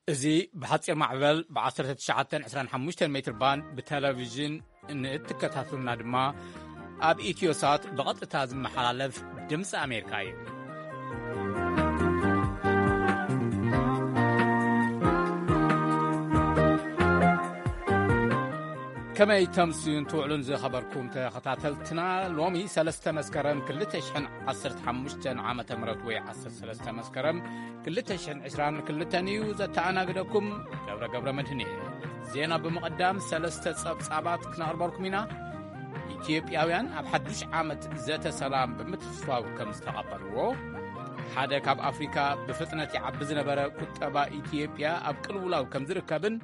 እዚ ብሓጺር ማዕበል ብ19 25 ሜትር ባንድ ብቴሌቪዥን ንእትከታተሉና ድማ ኣብ ኢትዮሳት ብቐጥታ ዝመሓላለፍ ድምፂ ኣሜሪካ እዩ። ከመይ ተምስዩን ትውዕሉን ዝኸበርኩም ተኸታተልትና፣ ሎሚ 3 መስከረም 2015 ዓመተ ምህረት ወይ 13 መስከረም 2022 እዩ። ዘተኣናግደኩም ገብረ ገብረ መድህን እየ። ዜና ብምቕዳም ሰለስተ ጸብጻባት ክነቕርበልኩም ኢና። ኢትዮጵያውያን ኣብ ሓዱሽ ዓመት ዘተ ሰላም ብምትፍፋው ከም ዝተቐበልዎ፣ ሓደ ካብ ኣፍሪካ ብፍጥነት ይዓቢ ዝነበረ ቁጠባ ኢትዮጵያ ኣብ ቅልውላው ከም ዝርከብን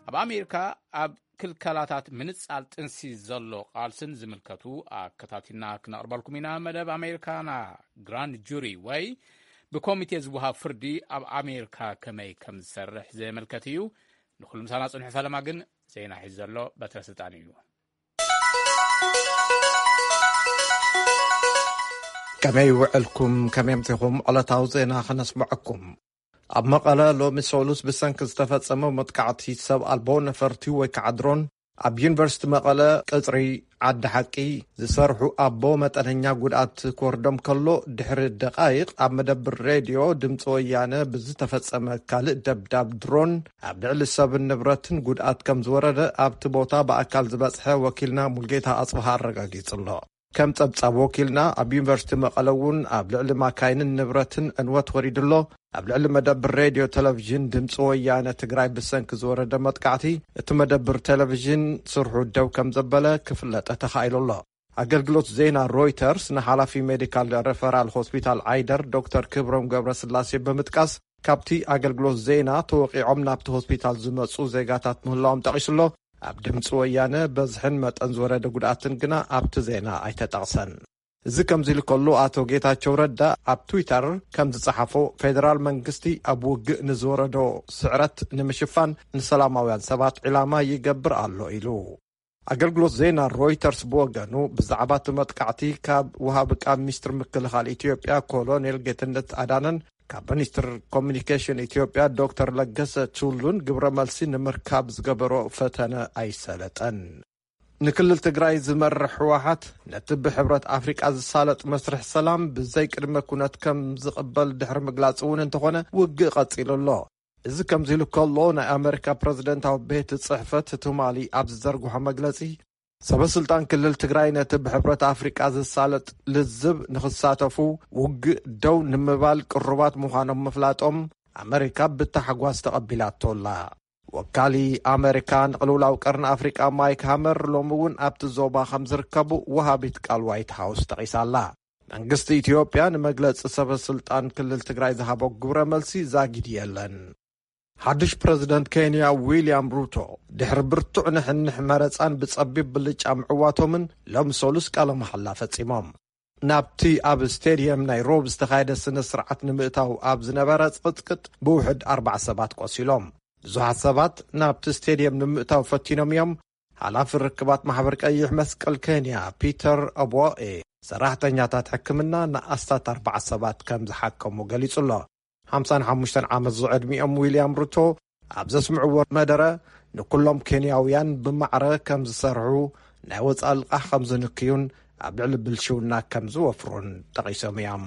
ኣብ ኣሜሪካ ኣብ ክልከላታት ምንጻል ጥንሲ ዘሎ ቃልስን ዝምልከቱ ኣከታቲልና ክነቕርበልኩም ኢና። መደብ ኣሜሪካና ግራንድ ጁሪ ወይ ብኮሚቴ ዝወሃብ ፍርዲ ኣብ ኣሜሪካ ከመይ ከም ዝሰርሕ ዘመልከት እዩ። ንኹሉ ምሳና ጽንሑ። ፈለማ ግን ዜና ሒዙ ዘሎ በትረ ስልጣን እዩ። ከመይ ውዕልኩም? ከመይ ኣምሲኹም? ዕለታዊ ዜና ከነስምዐኩም። ኣብ መቐለ ሎሚ ሰሉስ ብሰንኪ ዝተፈጸመ መጥቃዕቲ ሰብ ኣልቦ ነፈርቲ ወይ ከዓ ድሮን ኣብ ዩኒቨርሲቲ መቐለ ቅጽሪ ዓዲ ሓቂ ዝሰርሑ ኣቦ መጠነኛ ጉድኣት ክወርዶም ከሎ፣ ድሕሪ ደቃይቕ ኣብ መደብር ሬድዮ ድምፂ ወያነ ብዝተፈጸመ ካልእ ደብዳብ ድሮን ኣብ ልዕሊ ሰብን ንብረትን ጉድኣት ከም ዝወረደ ኣብቲ ቦታ ብኣካል ዝበጽሐ ወኪልና ሙልጌታ ኣጽብሃ ኣረጋጊጹ ኣሎ። ከም ጸብጻብ ወኪልና፣ ኣብ ዩኒቨርሲቲ መቐለ እውን ኣብ ልዕሊ ማካይንን ንብረትን ዕንወት ወሪዱ ኣሎ። ኣብ ልዕሊ መደብር ሬድዮ ቴሌቪዥን ድምፂ ወያነ ትግራይ ብሰንኪ ዝወረደ መጥቃዕቲ፣ እቲ መደብር ቴሌቪዥን ስርሑ ደው ከም ዘበለ ክፍለጠ ተኻኢሉ ኣሎ። ኣገልግሎት ዜና ሮይተርስ ንሓላፊ ሜዲካል ሬፈራል ሆስፒታል ዓይደር ዶክተር ክብሮም ገብረስላሴ ብምጥቃስ፣ ካብቲ ኣገልግሎት ዜና ተወቂዖም ናብቲ ሆስፒታል ዝመጹ ዜጋታት ምህላዎም ጠቒሱ ኣሎ። ኣብ ድምፂ ወያነ በዝሕን መጠን ዝወረደ ጉድኣትን ግና ኣብቲ ዜና ኣይተጠቕሰን። እዚ ከምዚ ኢሉ ከሎ፣ ኣቶ ጌታቸው ረዳ ኣብ ትዊተር ከም ዝጸሓፎ፣ ፌደራል መንግስቲ ኣብ ውግእ ንዝወረዶ ስዕረት ንምሽፋን ንሰላማውያን ሰባት ዒላማ ይገብር ኣሎ ኢሉ። ኣገልግሎት ዜና ሮይተርስ ብወገኑ፣ ብዛዕባ እቲ መጥቃዕቲ ካብ ወሃቢ ቃል ሚኒስትር ምክልኻል ኢትዮጵያ ኮሎኔል ጌትነት ኣዳነን ካብ ሚኒስትር ኮሚኒኬሽን ኢትዮጵያ ዶክተር ለገሰ ቱሉን ግብረ መልሲ ንምርካብ ዝገበሮ ፈተነ ኣይሰለጠን። ንክልል ትግራይ ዝመርሕ ህወሓት፣ ነቲ ብሕብረት ኣፍሪቃ ዝሳለጥ መስርሕ ሰላም ብዘይ ቅድመ ኩነት ከም ዝቕበል ድሕሪ ምግላጽ እውን እንተኾነ፣ ውግእ ቀጺሉ ኣሎ። እዚ ከምዚ ኢሉ ከሎ፣ ናይ ኣመሪካ ፕረዚደንታዊ ቤት ጽሕፈት ትማሊ ኣብ ዝዘርግሖ መግለጺ፣ ሰበ ስልጣን ክልል ትግራይ ነቲ ብሕብረት ኣፍሪቃ ዝሳለጥ ልዝብ ንኽሳተፉ ውግእ ደው ንምባል ቅሩባት ምዃኖም ምፍላጦም ኣመሪካ ብታሕጓስ ተቐቢላቶ ኣላ። ወካሊ ኣመሪካ ንቅልውላው ቀርኒ ኣፍሪቃ ማይክ ሃመር ሎሚ እውን ኣብቲ ዞባ ከም ዝርከቡ ወሃቢት ቃል ዋይት ሃውስ ጠቒሳ ኣላ። መንግስቲ ኢትዮጵያ ንመግለጺ ሰበ ስልጣን ክልል ትግራይ ዝሃቦ ግብረ መልሲ ዛጊድ የለን። ሓድሽ ፕረዚደንት ኬንያ ዊልያም ሩቶ፣ ድሕሪ ብርቱዕ ንሕንሕ መረጻን ብጸቢብ ብልጫ ምዕዋቶምን፣ ሎም ሰሉስ ቃለ መሓላ ፈጺሞም። ናብቲ ኣብ ስቴድየም ናይ ሮብ ዝተኻየደ ስነ ስርዓት ንምእታው ኣብ ዝነበረ ጽቕጥቅጥ ብውሕድ ኣርባዓ ሰባት ቆሲሎም። ብዙሓት ሰባት ናብቲ ስቴድየም ንምእታው ፈቲኖም እዮም። ሓላፊ ርክባት ማሕበር ቀይሕ መስቀል ኬንያ ፒተር ኦቦኤ፣ ሰራሕተኛታት ሕክምና ንኣስታት ኣርባዓ ሰባት ከም ዝሓከሙ ገሊጹ ኣሎ። ሓምሳን ሓሙሽተን ዓመት ዝዕድሚኦም ዊልያም ሩቶ ኣብ ዘስምዕዎ መደረ፣ ንኩሎም ኬንያውያን ብማዕረ ከም ዝሰርሑ፣ ናይ ወጻኢ ልቓሕ ከም ዝንክዩን ኣብ ልዕሊ ብልሽውና ከም ዝወፍሩን ጠቒሶም እዮም።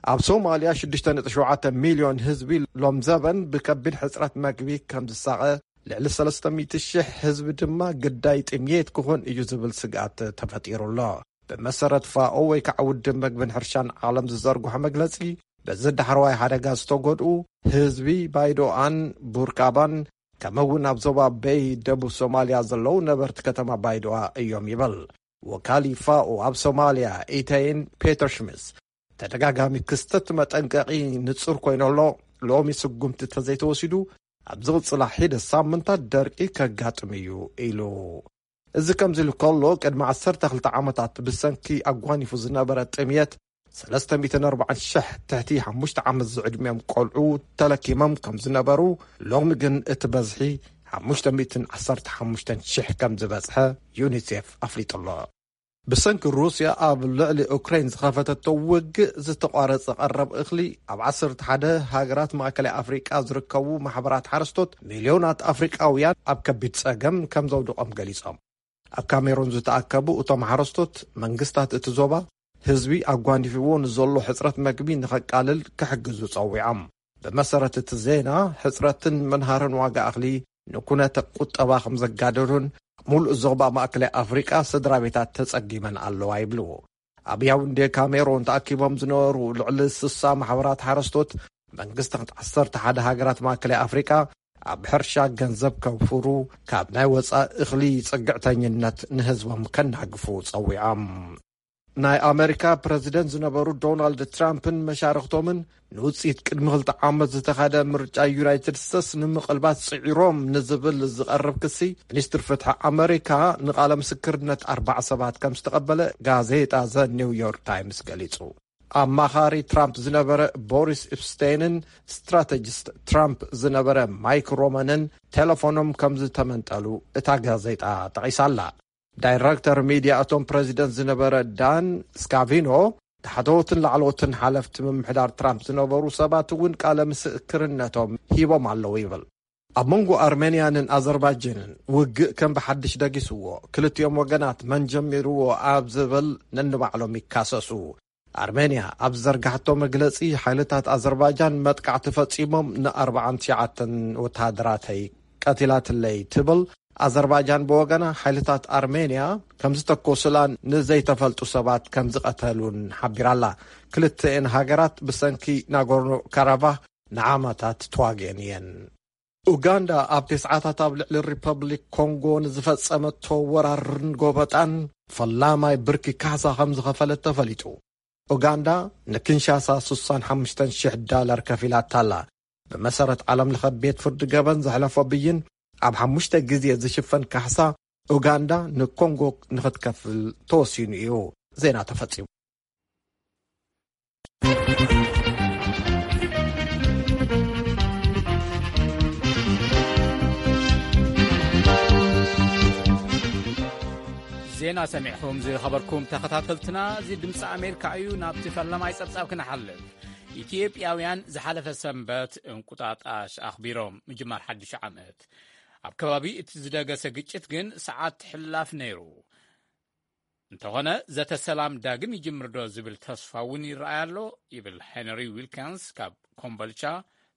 ኣብ ሶማልያ ሽዱሽተ ነጥቢ ሸውዓተ ሚልዮን ህዝቢ ሎም ዘበን ብከቢድ ሕጽረት መግቢ ከም ዝሳቐ፣ ልዕሊ ሰለስተ ሚእቲ ሽሕ ህዝቢ ድማ ግዳይ ጥምየት ክኾን እዩ ዝብል ስግኣት ተፈጢሩ ኣሎ። ብመሰረት ፋኦ ወይ ከዓ ውድብ መግብን ሕርሻን ዓለም ዝዘርግሖ መግለጺ፣ በዚ ዳሕረዋይ ሓደጋ ዝተጎድኡ ህዝቢ ባይዶኣን ቡርካባን፣ ከምኡ እውን ኣብ ዞባ በይ ደቡብ ሶማልያ ዘለዉ ነበርቲ ከተማ ባይዶኣ እዮም ይበል። ወካሊ ፋኦ ኣብ ሶማልያ ኢተይን ፔተር ሽሚስ፣ ተደጋጋሚ ክስተት መጠንቀቒ ንጹር ኮይኑ ኣሎ። ሎሚ ስጉምቲ እንተዘይተወሲዱ፣ ኣብ ዝቕጽላ ሒደት ሳምንታት ደርቂ ከጋጥም እዩ ኢሉ። እዚ ከምዚ ኢሉ ከሎ፣ ቅድሚ ዓሰርተ ክልተ ዓመታት ብሰንኪ ኣጓኒፉ ዝነበረ ጥምየት፣ ሰለስተ ሚእትን ኣርባዓን ሽሕ ትሕቲ ሓሙሽተ ዓመት ዝዕድሚኦም ቆልዑ ተለኪሞም ከም ዝነበሩ፣ ሎሚ ግን እቲ በዝሒ ሓሙሽተ ሚእትን ዓሰርተ ሓሙሽተን ሽሕ ከም ዝበጽሐ ዩኒሴፍ ኣፍሊጡ ኣሎ። ብሰንኪ ሩስያ ኣብ ልዕሊ ኡክራይን ዝኸፈተቶ ውግእ ዝተቋረጸ ቀረብ እኽሊ፣ ኣብ ዓሰርተ ሓደ ሃገራት ማእከላይ ኣፍሪቃ ዝርከቡ ማሕበራት ሓረስቶት፣ ሚልዮናት ኣፍሪቃውያን ኣብ ከቢድ ጸገም ከም ዘውድቖም ገሊጾም። ኣብ ካሜሩን ዝተኣከቡ እቶም ሓረስቶት፣ መንግስታት እቲ ዞባ፣ ህዝቢ ኣጓኒፍዎ ንዘሎ ሕጽረት መግቢ ንኸቃልል ክሕግዙ ጸዊዖም። ብመሰረት እቲ ዜና፣ ሕጽረትን ምንሃርን ዋጋ እኽሊ ንኩነተ ቁጠባ ከም ዘጋደዱን፣ ሙሉእ ዞባ ማእከላይ ኣፍሪቃ ስድራ ቤታት ተጸጊመን ኣለዋ ይብሉ። ኣብ ያውንዴ ካሜሮን ተኣኪቦም ዝነበሩ ልዕሊ ስሳ ማሕበራት ሓረስቶት፣ መንግስታት ዓሰርተ ሓደ ሃገራት ማእከላይ ኣፍሪቃ ኣብ ሕርሻ ገንዘብ ከውፍሩ፣ ካብ ናይ ወጻኢ እኽሊ ጽግዕተኝነት ንህዝቦም ከናግፉ ጸዊዖም። ናይ ኣመሪካ ፕረዚደንት ዝነበሩ ዶናልድ ትራምፕን መሻርኽቶምን ንውጽኢት ቅድሚ ክልተ ዓመት ዝተኻደ ምርጫ ዩናይትድ ስቴትስ ንምቕልባስ ጽዒሮም ንዝብል ዝቐርብ ክሲ፣ ሚኒስትር ፍትሒ ኣመሪካ ንቓለ ምስክርነት ኣርባዓ ሰባት ከም ዝተቐበለ ጋዜጣ ዘ ኒው ዮርክ ታይምስ ገሊጹ። ኣማኻሪ ትራምፕ ዝነበረ ቦሪስ ኢፕስቴንን ስትራተጂስት ትራምፕ ዝነበረ ማይክ ሮመንን ቴሌፎኖም ከም ዝተመንጠሉ እታ ጋዜጣ ጠቒሳላ። ዳይረክተር ሚድያ እቶም ፕረዚደንት ዝነበረ ዳን ስካቪኖ፣ ታሕተዎትን ላዕለዎትን ሓለፍቲ ምምሕዳር ትራምፕ ዝነበሩ ሰባት እውን ቃለ ምስክርነቶም ሂቦም ኣለዉ ይብል። ኣብ መንጎ ኣርሜንያንን ኣዘርባይጃንን ውግእ ከም ብሓድሽ ደጊስዎ፣ ክልቲኦም ወገናት መን ጀሚርዎ ኣብ ዝብል ነንባዕሎም ይካሰሱ። ኣርሜንያ ኣብ ዝዘርጋሕቶ መግለጺ፣ ሓይልታት ኣዘርባይጃን መጥቃዕቲ ፈጺሞም ንኣርባዓን ትሽዓተን ወተሃደራተይ ቀቲላትለይ ትብል። ኣዘርባይጃን ብወገና፣ ሓይልታት ኣርሜንያ ከም ዝተኮሱላን ንዘይተፈልጡ ሰባት ከም ዝቐተሉን ሓቢራላ። ክልተኤን ሃገራት ብሰንኪ ናጎርኖ ካራባህ ንዓመታት ተዋጊአን እየን። ኡጋንዳ ኣብ ተስዓታት ኣብ ልዕሊ ሪፐብሊክ ኮንጎ ንዝፈጸመቶ ወራርን ጎበጣን ፈላማይ ብርኪ ካሕሳ ከም ዝኸፈለት ተፈሊጡ። ኡጋንዳ ንኪንሻሳ ስሳን ሓሙሽተን ሽሕ ዳላር ከፊላታ ኣላ። ብመሰረት ዓለም ለኸ ቤት ፍርዲ ገበን ዘሕለፎ ብይን፣ ኣብ ሓሙሽተ ግዜ ዝሽፈን ካሕሳ ኡጋንዳ ንኮንጎ ንኽትከፍል ተወሲኑ እዩ። ዜና ተፈጺሙ። ዜና ሰሚዕኹም ዝኸበርኩም ተኸታተልትና፣ እዚ ድምፂ ኣሜሪካ እዩ። ናብቲ ፈለማይ ጸብጻብ ክንሓልፍ። ኢትዮጵያውያን ዝሓለፈ ሰንበት እንቁጣጣሽ ኣኽቢሮም ምጅማር ሓድሽ ዓመት። ኣብ ከባቢ እቲ ዝደገሰ ግጭት ግን ሰዓት ትሕላፍ ነይሩ። እንተኾነ፣ ዘተ ሰላም ዳግም ይጅምር ዶ ዝብል ተስፋ እውን ይረኣይ ኣሎ፣ ይብል ሄንሪ ዊልኪንስ ካብ ኮምቦልቻ።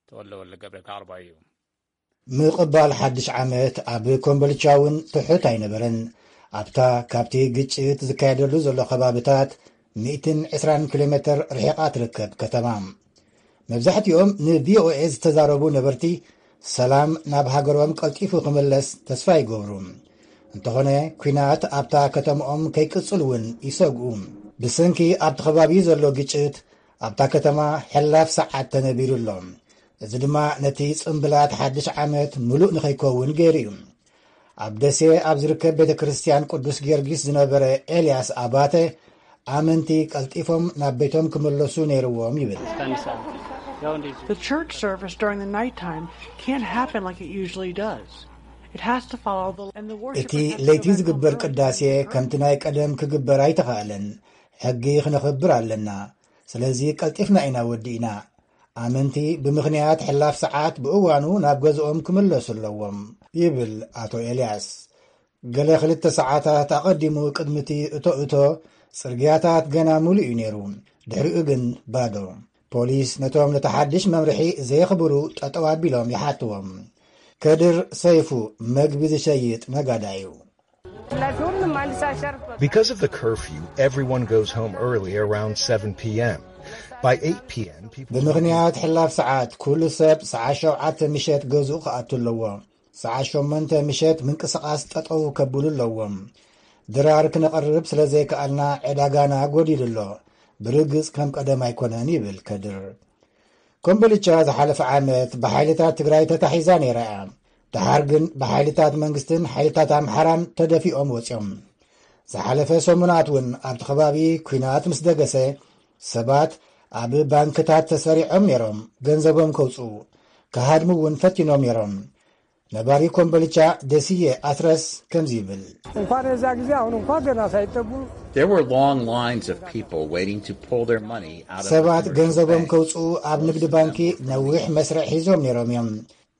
ተወለ ወለ ገብረ ከቕርባ እዩ። ምቕባል ሓድሽ ዓመት ኣብ ኮምቦልቻ እውን ትሑት ኣይነበረን። ኣብታ ካብቲ ግጭት ዝካየደሉ ዘሎ ከባብታት ሚእትን ዕስራን ኪሎ ሜትር ርሒቓ ትርከብ ከተማ። መብዛሕትኦም ንቪኦኤ ዝተዛረቡ ነበርቲ፣ ሰላም ናብ ሃገሮም ቀልጢፉ ክምለስ ተስፋ ይገብሩ። እንተኾነ፣ ኲናት ኣብታ ከተማኦም ከይቅጽል እውን ይሰግኡ። ብሰንኪ ኣብቲ ከባቢ ዘሎ ግጭት፣ ኣብታ ከተማ ሕላፍ ሰዓት ተነቢሩ ኣሎ። እዚ ድማ ነቲ ጽምብላት ሓድሽ ዓመት ምሉእ ንኸይከውን ገይሩ እዩ። ኣብ ደሴ ኣብ ዝርከብ ቤተ ክርስቲያን ቅዱስ ጊዮርጊስ ዝነበረ ኤልያስ ኣባተ፣ ኣመንቲ ቀልጢፎም ናብ ቤቶም ክምለሱ ነይርዎም ይብል። The church service during the nighttime can't happen like it usually does. It has to follow the, and the worship እቲ ለይቲ ዝግበር ቅዳሴ ከምቲ ናይ ቀደም ክግበር ኣይተኻእለን። ሕጊ ክነኽብር ኣለና። ስለዚ ቀልጢፍና ኢና ወዲእና። ኣመንቲ ብምኽንያት ሕላፍ ሰዓት ብእዋኑ ናብ ገዝኦም ክምለሱ ኣለዎም፣ ይብል ኣቶ ኤልያስ። ገለ ክልተ ሰዓታት ኣቐዲሙ ቅድሚ እቲ እቶ እቶ፣ ጽርግያታት ገና ምሉእ እዩ ነይሩ። ድሕሪኡ ግን ባዶ። ፖሊስ ነቶም ነቲ ሓድሽ መምርሒ ዘየኽብሩ ጠጠው ኣቢሎም ይሓትዎም። ከድር ሰይፉ መግቢ ዝሸይጥ ነጋዳይ እዩ። Because of the curfew, everyone goes home early around seven p.m. By eight p.m., people ብምኽንያት ሕላፍ ሰዓት ኩሉ ሰብ ሰዓት ሸውዓተ ምሸት ገዝኡ ክኣቱ ኣለዎ። ሰዓት ሸሞንተ ምሸት ምንቅስቓስ ጠጠው ከብሉ ኣለዎም። ድራር ክነቕርብ ስለ ዘይከኣልና ዕዳጋና ጎዲሉ ኣሎ። ብርግጽ ከም ቀደም ኣይኮነን ይብል ከድር። ኮምቦልቻ ዝሓለፈ ዓመት ብሓይልታት ትግራይ ተታሒዛ ነይራ እያ። ደሓር ግን ብሓይልታት መንግስትን ሓይልታት ኣምሓራን ተደፊኦም ወፂኦም። ዝሓለፈ ሰሙናት እውን ኣብቲ ከባቢ ኲናት ምስ ደገሰ ሰባት ኣብ ባንክታት ተሰሪዖም ነይሮም፣ ገንዘቦም ከውፅኡ ክሃድሙ እውን ፈቲኖም ነይሮም። ነባሪ ኮምቦልቻ ደስየ ኣትረስ ከምዚ ይብል። እንኳን የዛ ጊዜ አሁን እንኳን ገና ሳይጠጉ There were long lines of people waiting to pull their money out of the ሰባት commercial ገንዘቦም banks. ከውፅኡ ኣብ ንግዲ ባንኪ ነዊሕ መስርዕ ሒዞም ነይሮም እዮም።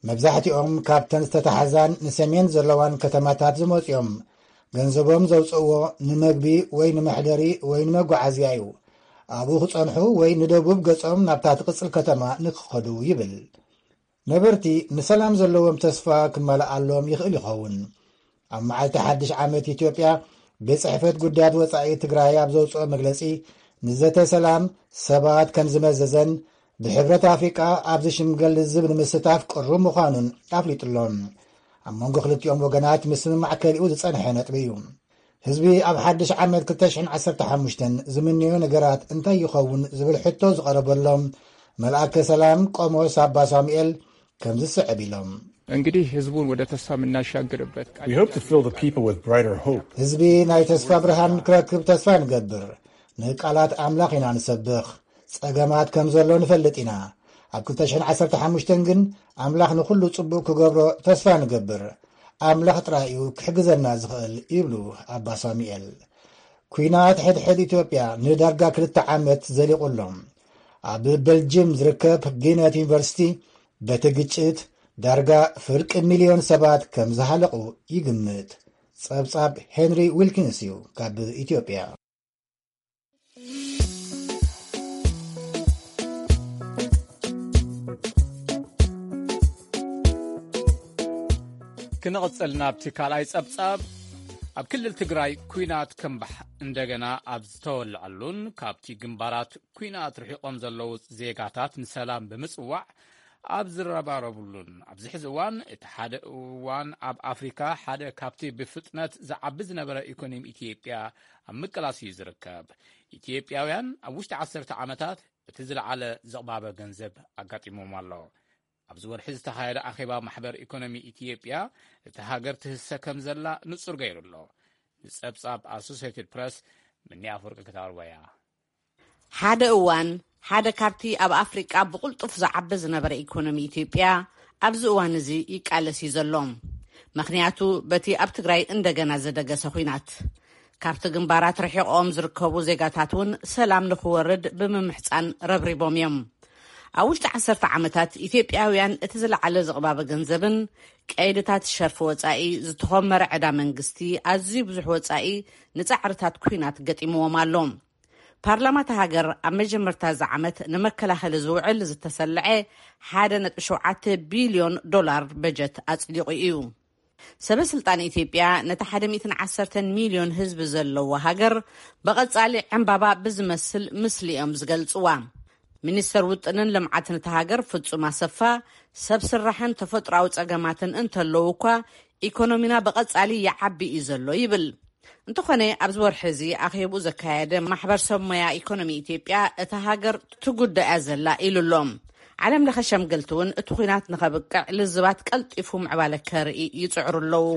መብዛሕትኦም ካብተን ዝተታሕዛን ንሰሜን ዘለዋን ከተማታት ዝመፁ እዮም። ገንዘቦም ዘውፅእዎ ንመግቢ ወይ ንመሕደሪ ወይ ንመጓዓዝያ እዩ። ኣብኡ ክፀንሑ ወይ ንደቡብ ገፆም ናብታ ትቕፅል ከተማ ንክኸዱ ይብል። ነበርቲ ንሰላም ዘለዎም ተስፋ ክመልኣሎም ይኽእል ይኸውን። ኣብ መዓልቲ ሓድሽ ዓመት ኢትዮጵያ ቤት ጽሕፈት ጉዳያት ወጻኢ ትግራይ ኣብ ዘውፅኦ መግለጺ፣ ንዘተ ሰላም ሰባት ከም ዝመዘዘን ብሕብረት ኣፍሪቃ ኣብዚ ሽምገል ልዝብ ንምስታፍ ቅሩብ ምዃኑን ኣፍሊጡሎም። ኣብ መንጎ ክልቲኦም ወገናት ምስምማዕ ከሊኡ ዝጸንሐ ነጥቢ እዩ። ህዝቢ ኣብ ሓድሽ ዓመት ክልተ ሽሕን ዓሰርተ ሓሙሽተን ዝምንዮ ነገራት እንታይ ይኸውን ዝብል ሕቶ ዝቐረበሎም፣ መልኣከ ሰላም ቆሞስ ኣባ ሳሙኤል ከምዚ ዝስዕብ ኢሎም። እንግዲህ ህዝቡን ወደ ተስፋ የምናሻግርበት ቃል We hope to fill the people with brighter hope. ህዝቢ ናይ ተስፋ ብርሃን ክረክብ ተስፋ ንገብር። ንቃላት ኣምላኽ ኢና ንሰብኽ። ጸገማት ከም ዘሎ ንፈልጥ ኢና። ኣብ ክልተ ሽሕን ዓሰርተ ሓሙሽተን ግን ኣምላኽ ንኹሉ ጽቡቕ ክገብሮ ተስፋ ንገብር። ኣምላኽ ጥራይ እዩ ክሕግዘና ዝኽእል ይብሉ ኣባ ሳሙኤል። ኲናት ሕድሕድ ኢትዮጵያ ንዳርጋ ክልተ ዓመት ዘሊቑ ኣሎ። ኣብ በልጅም ዝርከብ ጊነት ዩኒቨርሲቲ በቲ ግጭት ዳርጋ ፍርቂ ሚልዮን ሰባት ከም ዝሃለቑ ይግምት። ጸብጻብ ሄንሪ ዊልኪንስ እዩ ካብ ኢትዮጵያ። ክንቕጽል ናብቲ ካልኣይ ጸብጻብ። ኣብ ክልል ትግራይ ኲናት ከምባሕ እንደገና ኣብ ዝተወልዐሉን ካብቲ ግንባራት ኲናት ርሒቖም ዘለዉ ዜጋታት ንሰላም ብምጽዋዕ ኣብ ዝረባረቡሉን ኣብዚ ሕዚ እዋን እቲ ሓደ እዋን ኣብ ኣፍሪካ ሓደ ካብቲ ብፍጥነት ዝዓቢ ዝነበረ ኢኮኖሚ ኢትዮጵያ ኣብ ምቅላስ እዩ ዝርከብ። ኢትዮጵያውያን ኣብ ውሽጢ ዓሰርተ ዓመታት እቲ ዝለዓለ ዝቕባበ ገንዘብ ኣጋጢሞም ኣሎ። ኣብዚ ወርሒ ዝተኻየደ ኣኼባ ማሕበር ኢኮኖሚ ኢትዮጵያ እቲ ሃገር ትህሰ ከም ዘላ ንጹር ገይሩ ኣሎ። ንጸብጻብ ኣሶሴትድ ፕረስ ምኒ ኣፈወርቂ ክታርወያ። ሓደ እዋን ሓደ ካብቲ ኣብ ኣፍሪቃ ብቕልጡፍ ዝዓቢ ዝነበረ ኢኮኖሚ ኢትዮጵያ ኣብዚ እዋን እዚ ይቃለስ እዩ ዘሎ። ምኽንያቱ በቲ ኣብ ትግራይ እንደገና ዝደገሰ ኹናት ካብቲ ግንባራት ርሒቖም ዝርከቡ ዜጋታት እውን ሰላም ንኽወርድ ብምምሕፃን ረብሪቦም እዮም። ኣብ ውሽጢ ዓሰርተ ዓመታት ኢትዮጵያውያን እቲ ዝለዓለ ዝቕባበ ገንዘብን ቀይድታት ሸርፊ ወፃኢ ዝተኾመረ ዕዳ መንግስቲ ኣዝዩ ብዙሕ ወፃኢ ንፃዕርታት ኲናት ገጢምዎም ኣሎ። ፓርላማ እታ ሃገር ኣብ መጀመርታ እዚ ዓመት ንመከላኸሊ ዝውዕል ዝተሰልዐ ሓደ ነጥቢ ሸውዓተ ቢልዮን ዶላር በጀት ኣጽዲቑ እዩ። ሰበ ስልጣን ኢትዮጵያ ነቲ ሓደ ሚእትን ዓሰርተን ሚልዮን ህዝቢ ዘለዎ ሃገር ብቐጻሊ ዕምባባ ብዝመስል ምስሊ እዮም ዝገልጽዋ። ሚኒስተር ውጥንን ልምዓትን እታ ሃገር ፍጹም ኣሰፋ፣ ሰብ ስራሕን ተፈጥሮኣዊ ጸገማትን እንተለዉ እኳ ኢኮኖሚና ብቐጻሊ ይዓቢ እዩ ዘሎ ይብል። እንተኾነ ኣብዚ ወርሒ እዚ ኣኼብኡ ዘካየደ ማሕበር ሰብ ሞያ ኢኮኖሚ ኢትዮጵያ እታ ሃገር ትጉዳእ እያ ዘላ ኢሉ ኣሎ። ዓለም ለኸ ሸምገልቲ እውን እቲ ኹናት ንኸብቅዕ ልዝባት ቀልጢፉ ምዕባለ ከርኢ ይጽዕሩ ኣለዉ።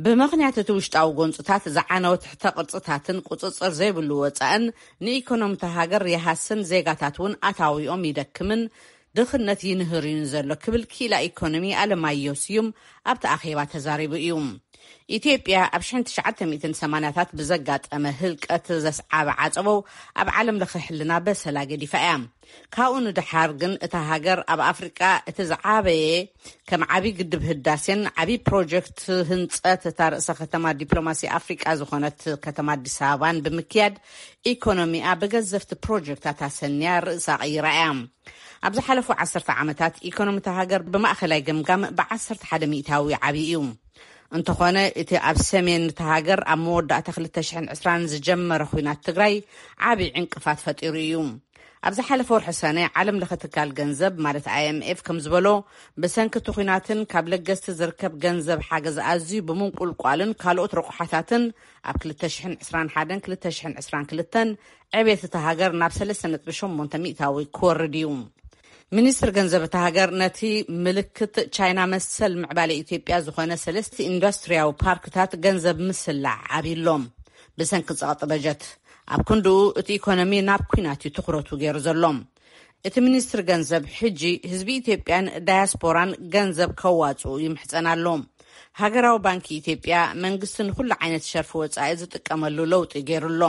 ብምኽንያት እቲ ውሽጣዊ ጎንፅታት ዝዓነወ ትሕተ ቅርፅታትን ቁፅፅር ዘይብሉ ወፃእን ንኢኮኖሚ እታ ሃገር ይሃስን ዜጋታት እውን ኣታዊኦም ይደክምን ድኽነት ይንህር እዩ ዘሎ ክብል ክኢላ ኢኮኖሚ ኣለማየሁ ስዩም ኣብቲ ኣኼባ ተዛሪቡ እዩ። ኢትዮጵያ ኣብ ሽሕን ትሽዓተ ሚእትን ሰማንያታት ብዘጋጠመ ህልቀት ዘስዓበ ዓፀቦ ኣብ ዓለም ለኸ ሕልና በሰላ ገዲፋ እያ። ካብኡ ንደሓር ግን እታ ሃገር ኣብ ኣፍሪቃ እቲ ዝዓበየ ከም ዓብዪ ግድብ ህዳሴን ዓብዪ ፕሮጀክት ህንፀት እታ ርእሰ ከተማ ዲፕሎማሲ ኣፍሪቃ ዝኾነት ከተማ ኣዲስ ኣበባን ብምክያድ ኢኮኖሚኣ ብገዘፍቲ ፕሮጀክታት ኣሰንያ ርእሳ ቀይራ እያ። ኣብ ዝሓለፉ ዓሰርተ ዓመታት ኢኮኖሚ እታ ሃገር ብማእኸላይ ገምጋም ብዓሰርተ ሓደ ሚእታዊ ዓብዪ እዩ። እንተኾነ እቲ ኣብ ሰሜን እታ ሃገር ኣብ መወዳእታ ክልተ ሽሕን ዕስራን ዝጀመረ ኹናት ትግራይ ዓብዪ ዕንቅፋት ፈጢሩ እዩ። ኣብ ዝሓለፈ ወርሒ ሰነ ዓለም ለኸ ትካል ገንዘብ ማለት ኣይኤምኤፍ ከም ዝበሎ ብሰንኪ እቲ ኹናትን ካብ ለገስቲ ዝርከብ ገንዘብ ሓገዝ ኣዝዩ ብምንቁልቋልን ካልኦት ረቑሓታትን ኣብ ክልተ ሽሕን ዕስራን ሓደን ክልተ ሽሕን ዕስራን ክልተን ዕቤት እታ ሃገር ናብ ሰለስተ ነጥቢ ሸሞንተ ሚእታዊ ክወርድ እዩ። ሚኒስትር ገንዘብ እታ ሃገር ነቲ ምልክት ቻይና መሰል ምዕባለ ኢትዮጵያ ዝኾነ ሰለስተ ኢንዱስትሪያዊ ፓርክታት ገንዘብ ምስላዕ ዓብይሎም ብሰንኪ ጸቕጢ በጀት ኣብ ክንድኡ እቲ ኢኮኖሚ ናብ ኲናት እዩ ትኹረቱ ገይሩ ዘሎ። እቲ ሚኒስትር ገንዘብ ሕጂ ህዝቢ ኢትዮጵያን ዳያስፖራን ገንዘብ ከዋጽኡ ይምሕጸን ኣሎ። ሃገራዊ ባንኪ ኢትዮጵያ መንግስቲ ንኹሉ ዓይነት ሸርፊ ወጻኢ ዝጥቀመሉ ለውጢ ገይሩ ኣሎ።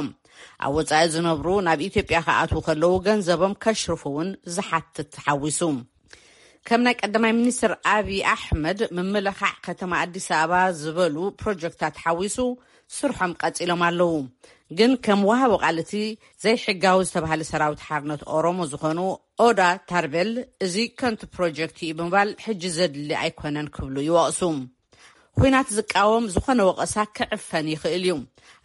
ኣብ ወጻኢ ዝነብሩ ናብ ኢትዮጵያ ክኣትዉ ከለዉ ገንዘቦም ከሽርፉ እውን ዝሓትት ተሓዊሱ። ከም ናይ ቀዳማይ ሚኒስትር ኣብይ ኣሕመድ ምምልኻዕ ከተማ ኣዲስ ኣበባ ዝበሉ ፕሮጀክታት ሓዊሱ ስርሖም ቀጺሎም ኣለዉ። ግን ከም ወሃቢ ቃል እቲ ዘይሕጋዊ ዝተባህለ ሰራዊት ሓርነት ኦሮሞ ዝኾኑ ኦዳ ታርቤል፣ እዚ ከንቱ ፕሮጀክት እዩ ብምባል ሕጂ ዘድሊ ኣይኮነን ክብሉ ይወቕሱ። ኲናት ዝቃወም ዝኾነ ወቐሳ ክዕፈን ይኽእል እዩ።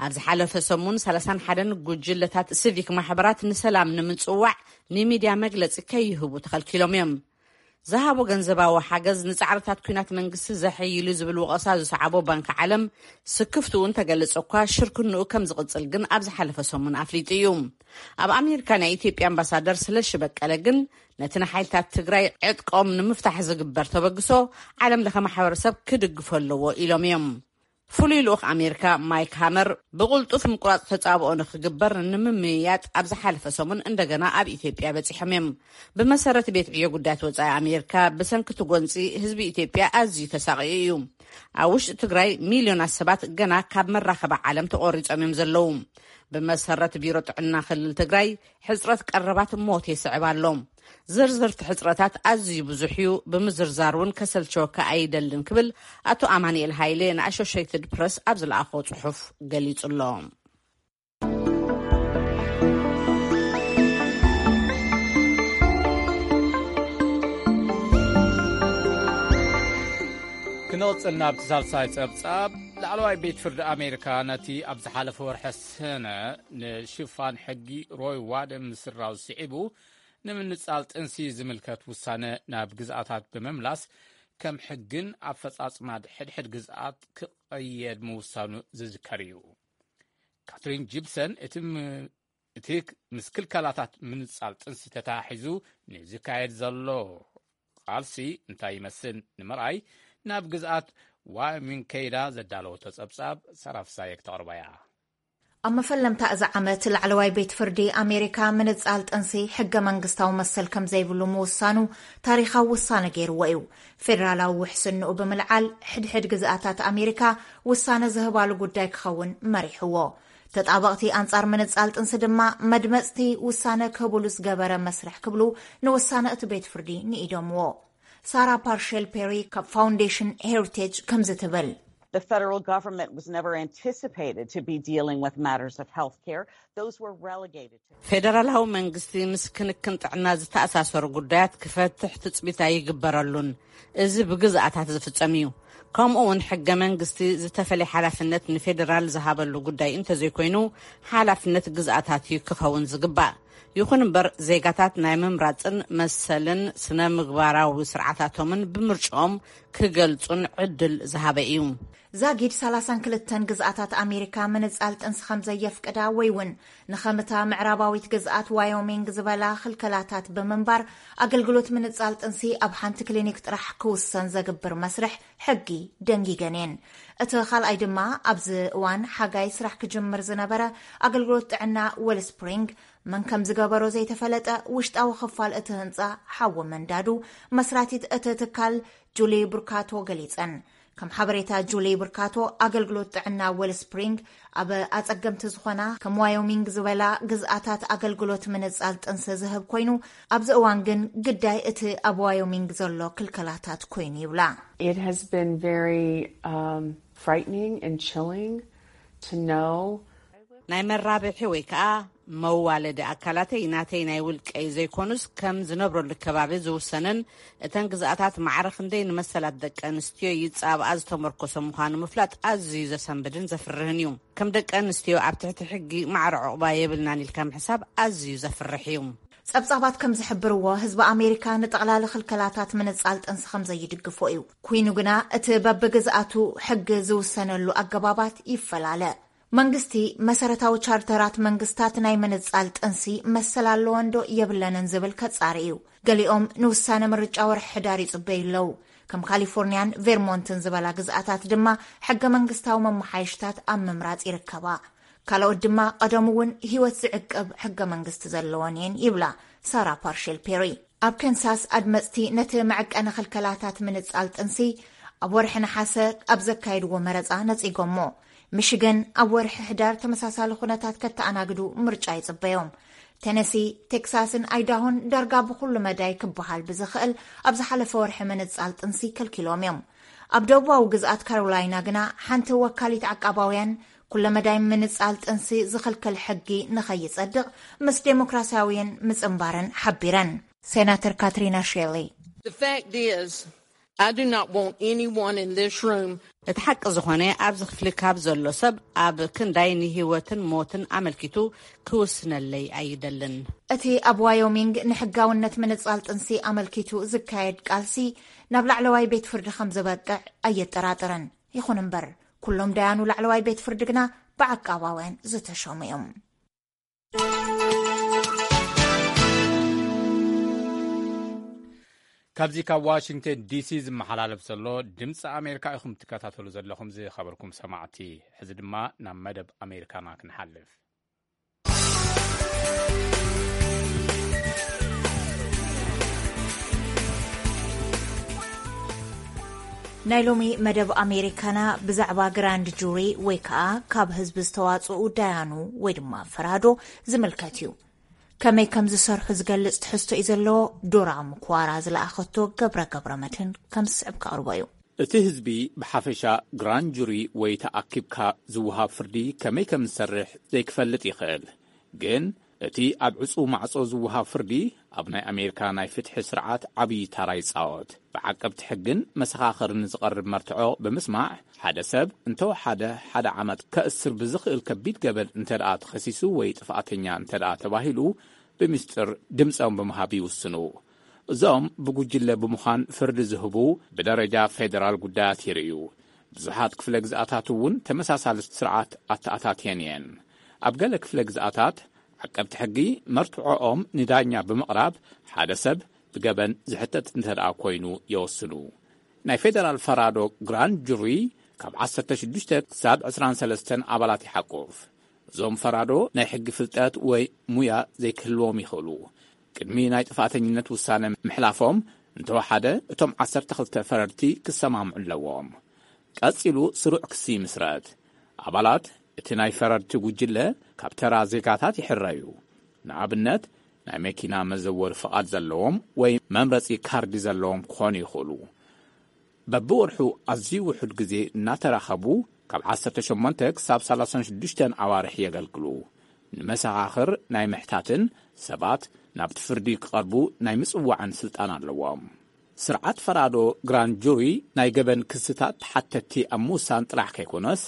ኣብ ዝሓለፈ ሰሙን ሰላሳን ሓደን ጉጅለታት ሲቪክ ማሕበራት ንሰላም ንምጽዋዕ ንሚድያ መግለጺ ከይህቡ ተኸልኪሎም እዮም። ዝሃቦ ገንዘባዊ ሓገዝ ንጻዕርታት ኲናት መንግስቲ ዘሐይሉ ዝብል ወቐሳ ዝሰዓቦ ባንኪ ዓለም፣ ስክፍትኡ እንተገለጸ እኳ ሽርክንኡ ከም ዝቕጽል ግን ኣብ ዝሓለፈ ሰሙን ኣፍሊጡ እዩ። ኣብ ኣሜሪካ ናይ ኢትዮጵያ ኣምባሳደር ስለሺ በቀለ ግን ነቲ ንሓይልታት ትግራይ ዕጥቆም ንምፍታሕ ዝግበር ተበግሶ ዓለም ለኸ ማሕበረሰብ ክድግፎ ኣለዎ ኢሎም እዮም። ፍሉይ ልኡኽ ኣሜሪካ ማይክ ሃመር ብቕልጡፍ ምቁራጽ ተጻብኦ ንኽግበር ንምምይያጥ ኣብ ዝሓለፈ ሰሙን እንደገና ኣብ ኢትዮጵያ በጺሖም እዮም። ብመሰረት ቤት ዕዮ ጉዳያት ወጻኢ ኣሜሪካ፣ ብሰንኪ እቲ ጎንጺ ህዝቢ ኢትዮጵያ ኣዝዩ ተሳቒዩ እዩ። ኣብ ውሽጢ ትግራይ ሚልዮናት ሰባት ገና ካብ መራኸቢ ዓለም ተቖሪጾም እዮም ዘለዉ። ብመሰረት ቢሮ ጥዕና ክልል ትግራይ፣ ሕጽረት ቀረባት ሞት የስዕብ ኣሎ። ዝርዝርቲ ሕጽረታት ኣዝዩ ብዙሕ እዩ፣ ብምዝርዛር እውን ከሰልቸወካ ኣይደልን ክብል ኣቶ ኣማንኤል ሃይሌ ንኣሾሸይትድ ፕረስ ኣብ ዝለኣኾ ጽሑፍ ገሊጹ ኣሎ። ክንቕጽል ናብቲ ሳልሳይ ጸብጻብ። ላዕለዋይ ቤት ፍርዲ ኣሜሪካ ነቲ ኣብ ዝሓለፈ ወርሒ ሰነ ንሽፋን ሕጊ ሮይ ዋደ ምስራው ስዒቡ ንምንጻል ጥንሲ ዝምልከት ውሳነ ናብ ግዝኣታት ብምምላስ ከም ሕግን ኣፈጻጽማ ሕድሕድ ግዝኣት ክቐየድ ምውሳኑ ዝዝከር እዩ። ካትሪን ጂፕሰን እቲ ም- እቲ ምስ ክልከላታት ምንጻል ጥንሲ ተተሓሒዙ ንዝካየድ ዘሎ ቃልሲ እንታይ ይመስል ንምርኣይ ናብ ግዝኣት ዋዮሚንግ ከይዳ ዘዳለወቶ ጸብጻብ ሰራፍሳየ ክተቕርባ እያ። ኣብ መፈለምታ እዚ ዓመት ላዕለዋይ ቤት ፍርዲ ኣሜሪካ ምንጻል ጥንሲ ሕገ መንግስታዊ መሰል ከም ዘይብሉ ምውሳኑ ታሪኻዊ ውሳነ ገይርዎ እዩ። ፌደራላዊ ውሕስንኡ ብምልዓል ሕድሕድ ግዝኣታት ኣሜሪካ ውሳነ ዝህባሉ ጉዳይ ክኸውን መሪሕዎ። ተጣበቕቲ ኣንጻር ምንጻል ጥንሲ ድማ መድመጽቲ ውሳነ ክህብሉ ዝገበረ መስርሕ ክብሉ ንውሳነ እቲ ቤት ፍርዲ ንኢዶምዎ። ሳራ ፓርሸል ፔሪ ካብ ፋውንዴሽን ሄሪቴጅ ከምዚ ትብል። The federal government was never anticipated to be dealing with matters of health care. Those were relegated to ፌደራላዊ መንግስቲ ምስ ክንክን ጥዕና ዝተኣሳሰሩ ጉዳያት ክፈትሕ ትጽቢት ኣይግበረሉን። እዚ ብግዝኣታት ዝፍጸም እዩ። ከምኡ እውን ሕገ መንግስቲ ዝተፈለየ ሓላፍነት ንፌደራል ዝሃበሉ ጉዳይ እንተዘይኮይኑ ሓላፍነት ግዝኣታት እዩ ክኸውን ዝግባእ። ይኹን እምበር ዜጋታት ናይ ምምራጽን መሰልን ስነ ምግባራዊ ስርዓታቶምን ብምርጭኦም ክገልጹን ዕድል ዝሃበ እዩ። ዛጊድ ሰላሳን ክልተን ግዝኣታት ኣሜሪካ ምንጻል ጥንሲ ከም ዘየፍቅዳ ወይ እውን ንኸምታ ምዕራባዊት ግዝኣት ዋዮሚንግ ዝበላ ክልከላታት ብምንባር ኣገልግሎት ምንጻል ጥንሲ ኣብ ሓንቲ ክሊኒክ ጥራሕ ክውሰን ዘግብር መስርሕ ሕጊ ደንጊገን እየን። እቲ ካልኣይ ድማ ኣብዚ እዋን ሓጋይ ስራሕ ክጅምር ዝነበረ ኣገልግሎት ጥዕና ዌልስፕሪንግ መን ከም ዝገበሮ ዘይተፈለጠ ውሽጣዊ ክፋል እቲ ህንጻ ሓዊ መንዳዱ መስራቲት እቲ ትካል ጁሊ ብርካቶ ገሊጸን። ከም ሓበሬታ ጁሊ ብርካቶ ኣገልግሎት ጥዕና ዌልስፕሪንግ ኣብ ኣጸገምቲ ዝኾና ከም ዋዮሚንግ ዝበላ ግዝኣታት ኣገልግሎት ምንጻል ጥንሲ ዝህብ ኮይኑ ኣብዚ እዋን ግን ግዳይ እቲ ኣብ ዋዮሚንግ ዘሎ ክልከላታት ኮይኑ ይብላ። It has been very um, frightening and chilling to know ናይ መራብሒ ወይ ከዓ መዋለዲ ኣካላተይ ናተይ ናይ ውልቀይ ዘይኮኑስ ከም ዝነብረሉ ከባቢ ዝውሰንን እተን ግዝኣታት ማዕረ ክንደይ ንመሰላት ደቂ ኣንስትዮ ይጻብኣ ዝተመርኮሰ ምዃኑ ምፍላጥ ኣዝዩ ዘሰንብድን ዘፍርህን እዩ። ከም ደቂ ኣንስትዮ ኣብ ትሕቲ ሕጊ ማዕረ ዕቑባ የብልናን ኢልካ ምሕሳብ ኣዝዩ ዘፍርሕ እዩ። ጸብጻባት ከም ዝሕብርዎ ህዝቢ ኣሜሪካ ንጠቕላሊ ክልከላታት ምንጻል ጥንሲ ከም ዘይድግፎ እዩ። ኩይኑ ግና እቲ በብግዝኣቱ ሕጊ ዝውሰነሉ ኣገባባት ይፈላለ። መንግስቲ መሰረታዊ ቻርተራት መንግስታት ናይ ምንጻል ጥንሲ መሰል ኣለወን ዶ የብለንን ዝብል ከጻሪ እዩ። ገሊኦም ንውሳነ ምርጫ ወርሒ ሕዳር ይጽበዩ ኣለዉ። ከም ካሊፎርኒያን ቬርሞንትን ዝበላ ግዝኣታት ድማ ሕገ መንግስታዊ መመሓየሽታት ኣብ ምምራጽ ይርከባ። ካልኦት ድማ ቀደም እውን ህይወት ዝዕቅብ ሕገ መንግስቲ ዘለወን እየን ይብላ ሳራ ፓርሼል ፔሪ። ኣብ ከንሳስ ኣድመፅቲ ነቲ መዐቀኒ ክልከላታት ምንፃል ጥንሲ ኣብ ወርሒ ነሓሰ ኣብ ዘካየድዎ መረፃ ነፂጎሞ። ሚሽገን ኣብ ወርሒ ሕዳር ተመሳሳሊ ኩነታት ከተኣናግዱ ምርጫ ይፅበዮም። ቴነሲ፣ ቴክሳስን ኣይዳሆን ዳርጋ ብኩሉ መዳይ ክበሃል ብዝኽእል ኣብ ዝሓለፈ ወርሒ ምንፃል ጥንሲ ከልኪሎም እዮም። ኣብ ደቡባዊ ግዝኣት ካሮላይና ግና ሓንቲ ወካሊት ዓቃባውያን ኩለመዳይ ምንጻል ጥንሲ ዝኽልክል ሕጊ ንኸይጸድቕ ምስ ዴሞክራሲያውያን ምጽንባረን ሓቢረን። ሴናተር ካትሪና ሼሊ፣ The fact is, I do not want anyone in this room. እቲ ሓቂ ዝኾነ ኣብዚ ክፍሊ ካብ ዘሎ ሰብ ኣብ ክንዳይ ንህይወትን ሞትን ኣመልኪቱ ክውስነለይ ኣይደልን። እቲ ኣብ ዋዮሚንግ ንሕጋውነት ምንጻል ጥንሲ ኣመልኪቱ ዝካየድ ቃልሲ ናብ ላዕለዋይ ቤት ፍርዲ ከም ዝበቅዕ ኣየጠራጥረን። ይኹን እምበር፣ ኩሎም ዳያኑ ላዕለዋይ ቤት ፍርዲ ግና ብዓቃባውያን ዝተሸሙ እዮም። ካብዚ ካብ ዋሽንግተን ዲሲ ዝመሓላለፍ ዘሎ ድምፂ ኣሜሪካ ኢኹም ትከታተሉ ዘለኹም። ዝኸበርኩም ሰማዕቲ፣ ሕዚ ድማ ናብ መደብ ኣሜሪካና ክንሓልፍ። ናይ ሎሚ መደብ ኣሜሪካና ብዛዕባ ግራንድ ጁሪ ወይ ከዓ ካብ ህዝቢ ዝተዋፅኡ ዳያኑ ወይ ድማ ፈራዶ ዝምልከት እዩ። ከመይ ከም ዝሰርሑ ዝገልፅ ትሕዝቶ እዩ ዘለዎ። ዶራ ምኩዋራ ዝለኣኸቶ ገብረ ገብረ መድህን ከም ዝስዕብ ከቕርቦ እዩ። እቲ ህዝቢ ብሓፈሻ ግራንድ ጁሪ ወይ ተኣኪብካ ዝወሃብ ፍርዲ ከመይ ከም ዝሰርሕ ዘይክፈልጥ ይኽእል። ግን እቲ ኣብ ዕጹው ማዕጾ ዝወሃብ ፍርዲ ኣብ ናይ ኣሜሪካ ናይ ፍትሒ ስርዓት ዓብዪ ታራ ይጻወት። ብዓቀብቲ ሕግን መሰኻኽርን ዝቐርብ መርትዖ ብምስማዕ ሓደ ሰብ እንተወሓደ ሓደ ዓመት ከእስር ብዝኽእል ከቢድ ገበን እንተደኣ ተኸሲሱ ወይ ጥፍኣተኛ እንተደኣ ተባሂሉ ብምስጢር ድምጾም ብምሃብ ይውስኑ። እዞም ብጉጅለ ብምዃን ፍርዲ ዝህቡ ብደረጃ ፌደራል ጉዳያት ይርእዩ። ብዙሓት ክፍለ ግዝኣታት እውን ተመሳሳሊ ስርዓት ኣተኣታትየን እየን። ኣብ ገለ ክፍለ ግዝኣታት ዓቀብቲ ሕጊ መርትዖኦም ንዳኛ ብምቕራብ ሓደ ሰብ ብገበን ዝሕተት እንተደኣ ኮይኑ የወስኑ። ናይ ፌደራል ፈራዶ ግራንድ ጁሪ ካብ ዓሰርተ ሽዱሽተ ክሳብ ዕስራን ሰለስተን ኣባላት ይሓቁፍ። እዞም ፈራዶ ናይ ሕጊ ፍልጠት ወይ ሙያ ዘይክህልዎም ይኽእሉ። ቅድሚ ናይ ጥፋተኝነት ውሳነ ምሕላፎም እንተወሓደ እቶም ዓሰርተ ክልተ ፈረድቲ ክሰማምዑ ኣለዎም። ቀጺሉ ስሩዕ ክሲ ይምስረት። ኣባላት እቲ ናይ ፈረድቲ ጉጅለ ካብ ተራ ዜጋታት ይሕረዩ። ንኣብነት ናይ መኪና መዘወሪ ፍቓድ ዘለዎም ወይ መምረጺ ካርዲ ዘለዎም ክኾኑ ይኽእሉ። በብወርሑ ኣዝዩ ውሑድ ግዜ እናተራኸቡ ካብ ዓሰርተ ሸሞንተ ክሳብ ሰላሳን ሽዱሽተን ኣዋርሕ የገልግሉ። ንመሰኻኽር ናይ ምሕታትን ሰባት ናብቲ ፍርዲ ክቐርቡ ናይ ምጽዋዕን ስልጣን ኣለዎም። ስርዓት ፈራዶ ግራንድ ጁሪ ናይ ገበን ክስታት ተሓተትቲ ኣብ ምውሳን ጥራሕ ከይኮነስ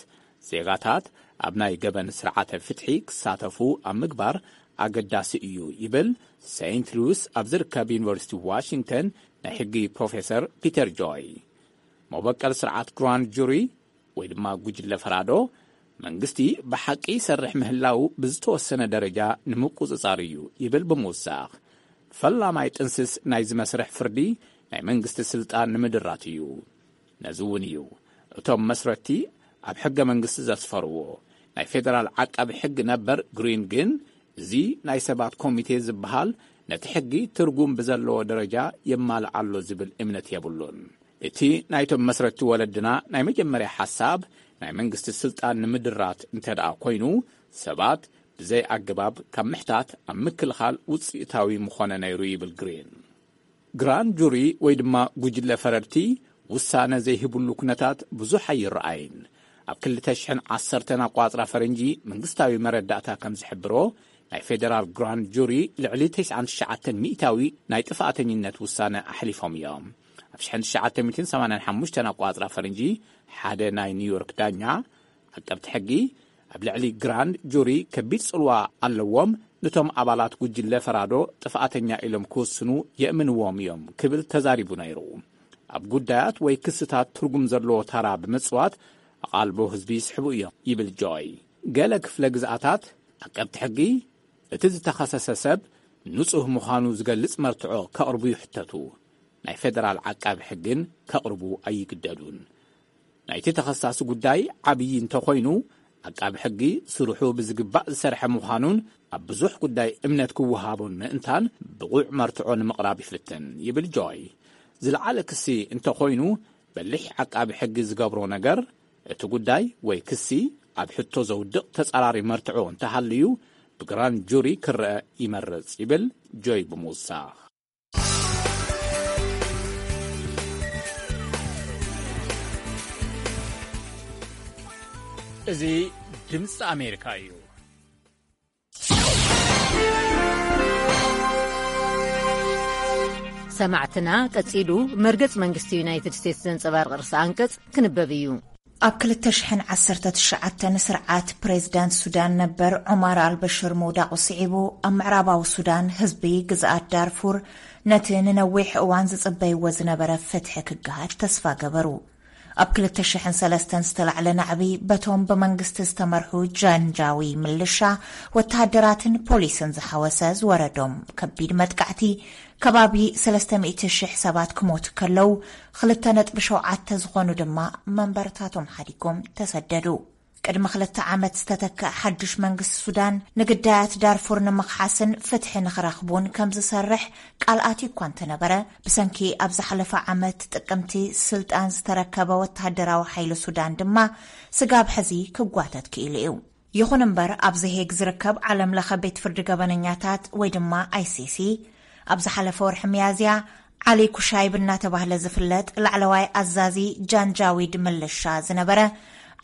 ዜጋታት ኣብ ናይ ገበን ስርዓተ ፍትሒ ክሳተፉ ኣብ ምግባር ኣገዳሲ እዩ ይብል ሴንት ሉዊስ ኣብ ዝርከብ ዩኒቨርሲቲ ዋሽንግተን ናይ ሕጊ ፕሮፌሰር ፒተር ጆይ። መበቀል ስርዓት ግራንድ ጁሪ ወይ ድማ ጉጅለ ፈራዶ መንግስቲ ብሓቂ ይሰርሕ ምህላው ብዝተወሰነ ደረጃ ንምቁጽጻር እዩ ይብል ብምውሳኽ ፈላማይ ጥንስስ ናይዚ መስርሕ ፍርዲ ናይ መንግስቲ ስልጣን ንምድራት እዩ። ነዚ እውን እዩ እቶም መስረቲ ኣብ ሕገ መንግስቲ ዘስፈርዎ። ናይ ፌደራል ዓቃቢ ሕጊ ነበር ግሪን ግን እዚ ናይ ሰባት ኮሚቴ ዝበሃል ነቲ ሕጊ ትርጉም ብዘለዎ ደረጃ የማልእ ኣሎ ዝብል እምነት የብሉን። እቲ ናይቶም መስረቲ ወለድና ናይ መጀመርያ ሓሳብ ናይ መንግስቲ ስልጣን ንምድራት እንተ ደኣ ኮይኑ ሰባት ብዘይ ኣገባብ ካብ ምሕታት ኣብ ምክልኻል ውፅኢታዊ ምኾነ ነይሩ ይብል ግሪን። ግራንድ ጁሪ ወይ ድማ ጉጅለ ፈረድቲ ውሳነ ዘይህብሉ ኩነታት ብዙሕ ኣይረኣይን። ኣብ ክልተ ሽሕን ዓሰርተን ኣቋፅራ ፈረንጂ መንግስታዊ መረዳእታ ከም ዝሕብሮ ናይ ፌደራል ግራንድ ጁሪ ልዕሊ ተስዓን ትሽዓተን ሚእታዊ ናይ ጥፍኣተኝነት ውሳነ ኣሕሊፎም እዮም። ኣብ ሽሕን ትሽዓተ ሚእትን ሰማንያን ሓሙሽተን ኣቋፅራ ፈረንጂ ሓደ ናይ ኒውዮርክ ዳኛ ዓቀብቲ ሕጊ ኣብ ልዕሊ ግራንድ ጁሪ ከቢድ ጽልዋ ኣለዎም፣ ነቶም ኣባላት ጉጅለ ፈራዶ ጥፍኣተኛ ኢሎም ክውስኑ የእምንዎም እዮም ክብል ተዛሪቡ ነይሩ። ኣብ ጉዳያት ወይ ክስታት ትርጉም ዘለዎ ታራ ብምጽዋት ኣቓልቦ ህዝቢ ይስሕቡ እዮም ይብል ጆይ። ገለ ክፍለ ግዝኣታት ዓቀብቲ ሕጊ እቲ ዝተኸሰሰ ሰብ ንጹህ ምዃኑ ዝገልጽ መርትዖ ከቕርቡ ይሕተቱ። ናይ ፌደራል ዓቃቢ ሕግን ከቕርቡ ኣይግደዱን። ናይቲ ተኸሳሲ ጉዳይ ዓብዪ እንተኾይኑ ዓቃቢ ሕጊ ስርሑ ብዝግባእ ዝሰርሐ ምዃኑን ኣብ ብዙሕ ጉዳይ እምነት ክወሃቦን ምእንታን ብቑዕ መርትዖ ንምቕራብ ይፍትን ይብል ጆይ። ዝለዓለ ክሲ እንተኾይኑ በሊሕ ዓቃቢ ሕጊ ዝገብሮ ነገር እቲ ጉዳይ ወይ ክሲ ኣብ ሕቶ ዘውድቕ ተጻራሪ መርትዖ እንተሃልዩ ብግራንድ ጁሪ ክረአ ይመርጽ ይብል ጆይ ብምውሳኽ። እዚ ድምፂ ኣሜሪካ እዩ። ሰማዕትና ቀጺሉ መርገጽ መንግስቲ ዩናይትድ ስቴትስ ዘንጸባርቕ ርእሰ ኣንቀጽ ክንበብ እዩ። ኣብ ክልተ ሽሕን ዓሰርተ ትሽዓተን ስርዓት ፕሬዝዳንት ሱዳን ነበር ዑማር ኣልበሽር ምውዳቑ ስዒቡ ኣብ ምዕራባዊ ሱዳን ህዝቢ ግዝኣት ዳርፉር ነቲ ንነዊሕ እዋን ዝጽበይዎ ዝነበረ ፍትሒ ክገሃድ ተስፋ ገበሩ። ኣብ ክልተ ሽሕን ሰለስተን ዝተላዕለ ናዕቢ በቶም ብመንግስቲ ዝተመርሑ ጃንጃዊ ምልሻ፣ ወተሃደራትን ፖሊስን ዝሓወሰ ዝወረዶም ከቢድ መጥቃዕቲ ከባቢ ሰለስተ ሚእቲ ሽሕ ሰባት ክሞቱ ከለዉ ክልተ ነጥቢ ሸውዓተ ዝኾኑ ድማ መንበርታቶም ሓዲጎም ተሰደዱ። ቅድሚ ክልተ ዓመት ዝተተክአ ሓድሽ መንግስቲ ሱዳን ንግዳያት ዳርፉር ንምኽሓስን ፍትሒ ንኽረኽቡን ከም ዝሰርሕ ቃል ኣትዩ እኳ እንተነበረ፣ ብሰንኪ ኣብ ዝሓለፈ ዓመት ጥቅምቲ ስልጣን ዝተረከበ ወተሃደራዊ ሓይሊ ሱዳን ድማ ስጋብ ሕዚ ክጓተት ክኢሉ እዩ። ይኹን እምበር፣ ኣብዚ ሄግ ዝርከብ ዓለም ለኸ ቤት ፍርዲ ገበነኛታት ወይ ድማ ኣይሲሲ ኣብ ዝሓለፈ ወርሒ ሚያዝያ ዓሊ ኩሻይብ እናተባህለ ዝፍለጥ ላዕለዋይ ኣዛዚ ጃንጃዊድ ምልሻ ዝነበረ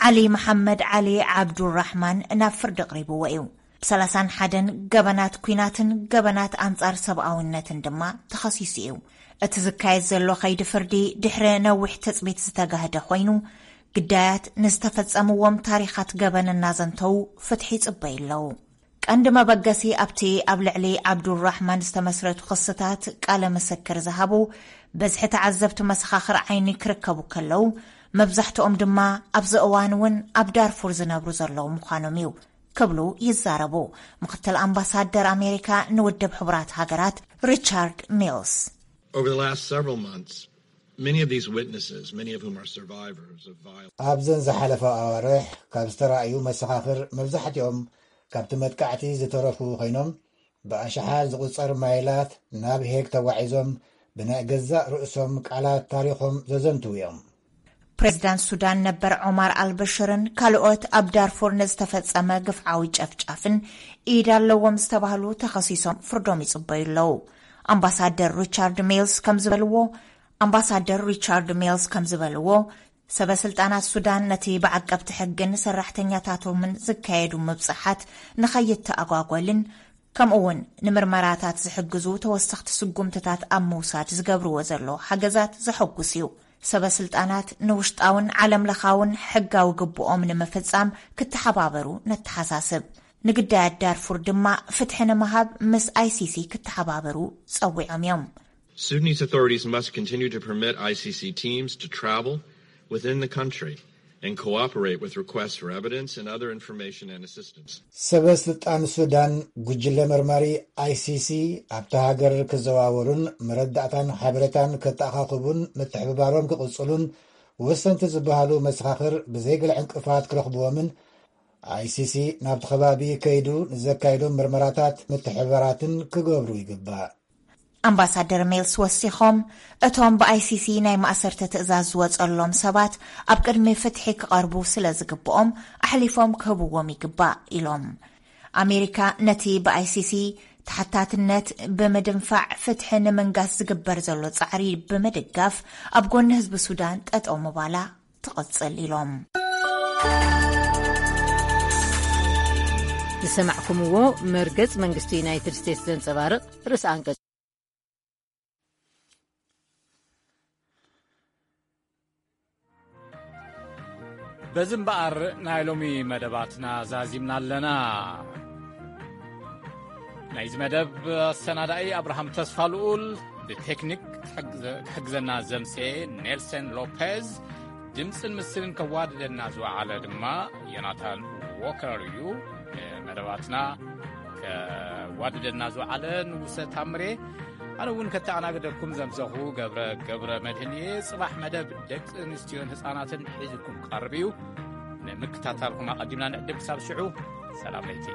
ዓሊ መሓመድ ዓሊ ዓብዱራሕማን ናብ ፍርዲ ኣቕሪብዎ እዩ። ብ ሰላሳን ሓደን ገበናት ኲናትን ገበናት ኣንጻር ሰብኣውነትን ድማ ተኸሲሱ እዩ። እቲ ዝካየድ ዘሎ ኸይዲ ፍርዲ ድሕሪ ነዊሕ ትጽቢት ዝተጋህደ ኮይኑ፣ ግዳያት ንዝተፈጸምዎም ታሪኻት ገበን እናዘንተዉ ፍትሒ ይጽበዩ ኣለዉ። ቀንዲ መበገሲ ኣብቲ ኣብ ልዕሊ ዓብዱራሕማን ዝተመስረቱ ክስታት ቃለ ምስክር ዝሃቡ በዝሒ ተዓዘብቲ መሰኻኽር ዓይኒ ክርከቡ ከለዉ፣ መብዛሕትኦም ድማ ኣብዚ እዋን እውን ኣብ ዳርፉር ዝነብሩ ዘለዉ ምዃኖም እዩ ክብሉ ይዛረቡ ምክትል ኣምባሳደር ኣሜሪካ ንውድብ ሕቡራት ሃገራት ሪቻርድ ሚልስ። Over the last several months, many of these witnesses, many of whom are survivors of violence, ኣብዘን ዝሓለፋ ኣዋርሕ ካብ ዝተራእዩ መሰኻኽር መብዛሕትኦም ካብቲ መጥቃዕቲ ዝተረፉ ኮይኖም፣ ብኣሽሓት ዝቑጸር ማይላት ናብ ሄግ ተጓዒዞም ብናይ ገዛእ ርእሶም ቃላት ታሪኾም ዘዘንትዉ እዮም። ፕሬዝዳንት ሱዳን ነበር ዖማር ኣልበሽርን ካልኦት ኣብ ዳርፉር ንዝተፈጸመ ግፍዓዊ ጨፍጫፍን ኢድ ኣለዎም ዝተባህሉ ተኸሲሶም ፍርዶም ይጽበዩ ኣለዉ። ኣምባሳደር ሪቻርድ ሜልስ ከም ዝበልዎ ኣምባሳደር ሪቻርድ ሜልስ ከም ዝበልዎ፣ ሰበ ስልጣናት ሱዳን ነቲ ብዓቀብቲ ሕግን ሰራሕተኛታቶምን ዝካየዱ ምብጻሓት ንኸይተኣጓጎልን ከምኡ እውን ንምርመራታት ዝሕግዙ ተወሰኽቲ ስጉምትታት ኣብ ምውሳድ ዝገብርዎ ዘሎ ሓገዛት ዘሐጉስ እዩ። ሰበ ስልጣናት ንውሽጣውን ዓለም ለኻውን ሕጋዊ ግብኦም ንምፍጻም ክተሓባበሩ ነተሓሳስብ። ንግዳያት ዳርፉር ድማ ፍትሒ ንምሃብ ምስ ኣይሲሲ ክተሓባበሩ ጸዊዖም እዮም። Sudanese authorities must continue to permit I C C teams to travel within the country and cooperate with requests for evidence and other information and assistance. ሰበ ስልጣን ሱዳን ጉጅለ መርማሪ I C C ኣብታ ሃገር ክዘዋወሩን መረዳእታን ሓበሬታን ከተኣኻኽቡን ምትሕብባሮም ክቕጽሉን ወሰንቲ ዝበሃሉ መሰኻኽር ብዘይገለ ዕንቅፋት ክረኽብዎምን I C C ናብቲ ከባቢ ከይዱ ንዘካይዶም ምርመራታት ምትሕብባራትን ክገብሩ ይግባእ። ኣምባሳደር ሜልስ ወሲኾም፣ እቶም ብ I C C ናይ ማእሰርቲ ትእዛዝ ዝወጸሎም ሰባት ኣብ ቅድሚ ፍትሒ ክቐርቡ ስለ ዝግብኦም ኣሕሊፎም ክህብዎም ይግባእ ኢሎም። ኣሜሪካ ነቲ ብ I C C ተሓታትነት ብምድንፋዕ ፍትሒ ንምንጋስ ዝግበር ዘሎ ጻዕሪ ብምድጋፍ ኣብ ጎኒ ህዝቢ ሱዳን ጠጠው ምባላ ትቕጽል ኢሎም። ዝሰማዕኩምዎ መርገጽ መንግስቲ ዩናይትድ ስቴትስ ዘንጸባርቕ ርእሰ ኣንቀጽ። በዚ እምበኣር ናይ ሎሚ መደባትና ዛዚምና ኣለና። ናይዚ መደብ ኣሰናዳኢ ኣብርሃም ተስፋ ልኡል፣ ብቴክኒክ ክሕግዘ-፣ ክሕግዘና ዘምሴ ኔልሰን ሎፔዝ፣ ድምፅን ምስልን ከዋድደና ዝወዓለ ድማ ዮናታን ዎከር እዩ። መደባትና ከዋድደና ዝወዓለ ንጉሰ ታምሬ፣ ኣነ እውን ከተኣናግደኩም ዘምሰኹ ገብረ፣ ገብረ መድህን እየ። ጽባሕ መደብ ደቂ ኣንስትዮን ህፃናትን ሒዝኩም ቀርብ እዩ። ንምክታታልኩም ኣቐዲምና ንዕድም። ክሳብ ሽዑ፣ ሰላም ለይቲ።